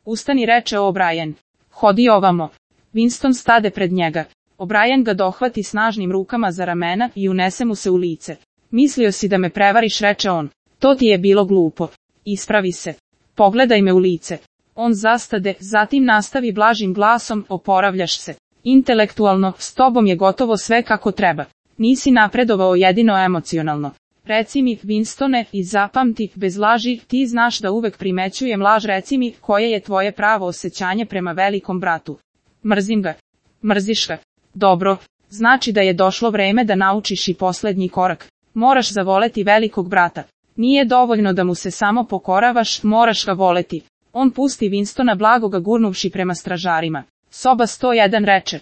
Ustani, reče O'Brien. Hodi ovamo. Winston stade pred njega. O'Brien ga dohvati snažnim rukama za ramena i unese mu se u lice. Mislio si da me prevariš, reče on. To ti je bilo glupo. Ispravi se. Pogledaj me u lice. On zastade, zatim nastavi blažim glasom, oporavljaš se. Intelektualno, s tobom je gotovo sve kako treba. Nisi napredovao jedino emocionalno. Reci mi, Winstone, i zapamti, bez laži, ti znaš da uvek primećujem laž, reci mi, koje je tvoje pravo osjećanje prema velikom bratu. Mrzim ga. Mrziš ga. Dobro, znači da je došlo vreme da naučiš i poslednji korak. Moraš zavoleti velikog brata. Nije dovoljno da mu se samo pokoravaš, moraš ga voleti. On pusti Winstona, blago ga gurnuvši prema stražarima. Soba 101, reče.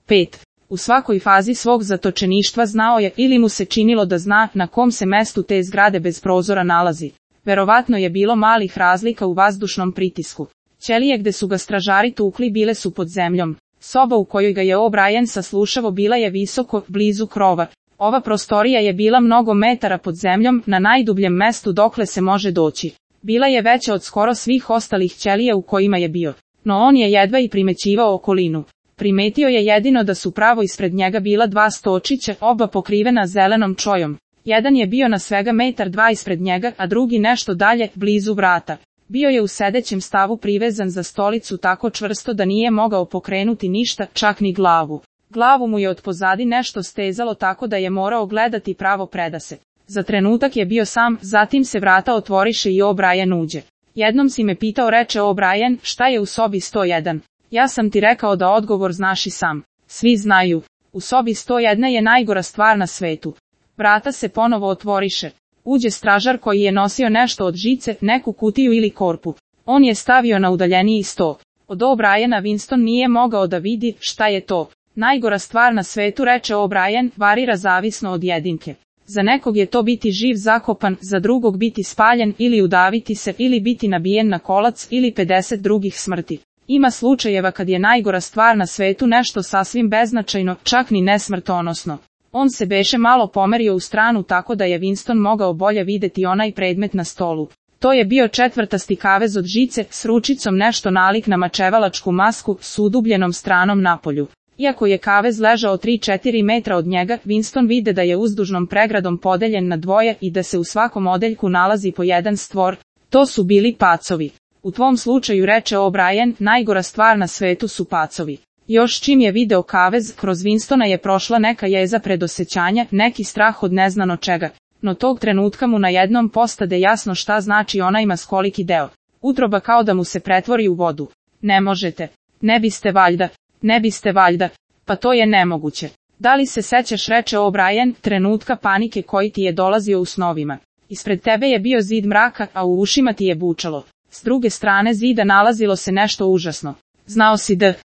5. U svakoj fazi svog zatočeništva znao je, ili mu se činilo da zna, na kom se mestu te zgrade bez prozora nalazi. Verovatno je bilo malih razlika u vazdušnom pritisku. Ćelije gde su ga stražari tukli bile su pod zemljom. Soba u kojoj ga je O'Brien saslušavo bila je visoko, blizu krova. Ova prostorija je bila mnogo metara pod zemljom, na najdubljem mestu dokle se može doći. Bila je veća od skoro svih ostalih ćelija u kojima je bio. No on je jedva i primećivao okolinu. Primetio je jedino da su pravo ispred njega bila dva stočića, oba pokrivena zelenom čojom. Jedan je bio na svega 1,2 metra ispred njega, a drugi nešto dalje, blizu vrata. Bio je u sedećem stavu privezan za stolicu tako čvrsto da nije mogao pokrenuti ništa, čak ni glavu. Glavu mu je od pozadi nešto stezalo tako da je morao gledati pravo predase. Za trenutak je bio sam, zatim se vrata otvoriše i O'Brien uđe. Jednom si me pitao, reče O'Brien, šta je u sobi 101. Ja sam ti rekao da odgovor znaš i sam. Svi znaju. U sobi 101 je najgora stvar na svetu. Vrata se ponovo otvoriše. Uđe stražar koji je nosio nešto od žice, neku kutiju ili korpu. On je stavio na udaljeniji sto. Od O'Briena Winston nije mogao da vidi šta je to. Najgora stvar na svetu, reče O'Brien, varira zavisno od jedinke. Za nekog je to biti živ zakopan, za drugog biti spaljen ili udaviti se ili biti nabijen na kolac ili 50 drugih smrti. Ima slučajeva kad je najgora stvar na svetu nešto sasvim beznačajno, čak ni nesmrtonosno. On se beše malo pomerio u stranu tako da je Winston mogao bolje videti onaj predmet na stolu. To je bio četvrtasti kavez od žice, s ručicom nešto nalik na mačevalačku masku, s udubljenom stranom napolju. Iako je kavez ležao 3-4 metra od njega, Winston vide da je uzdužnom pregradom podeljen na dvoje i da se u svakom odeljku nalazi po jedan stvor. To su bili pacovi. U tvom slučaju, reče O'Brien, najgora stvar na svetu su pacovi. Još čim je video kavez, kroz Winstona je prošla neka jeza predosećanja, neki strah od neznano čega. No tog trenutka mu najednom postade jasno šta znači onaj maskoliki deo. Utroba kao da mu se pretvori u vodu. Ne možete. Ne biste valjda. Ne biste valjda. Pa to je nemoguće. Da li se sećaš, reče O'Brien, trenutka panike koji ti je dolazio u snovima. Ispred tebe je bio zid mraka, a u ušima ti je bučalo. S druge strane zida nalazilo se nešto užasno. Znao si da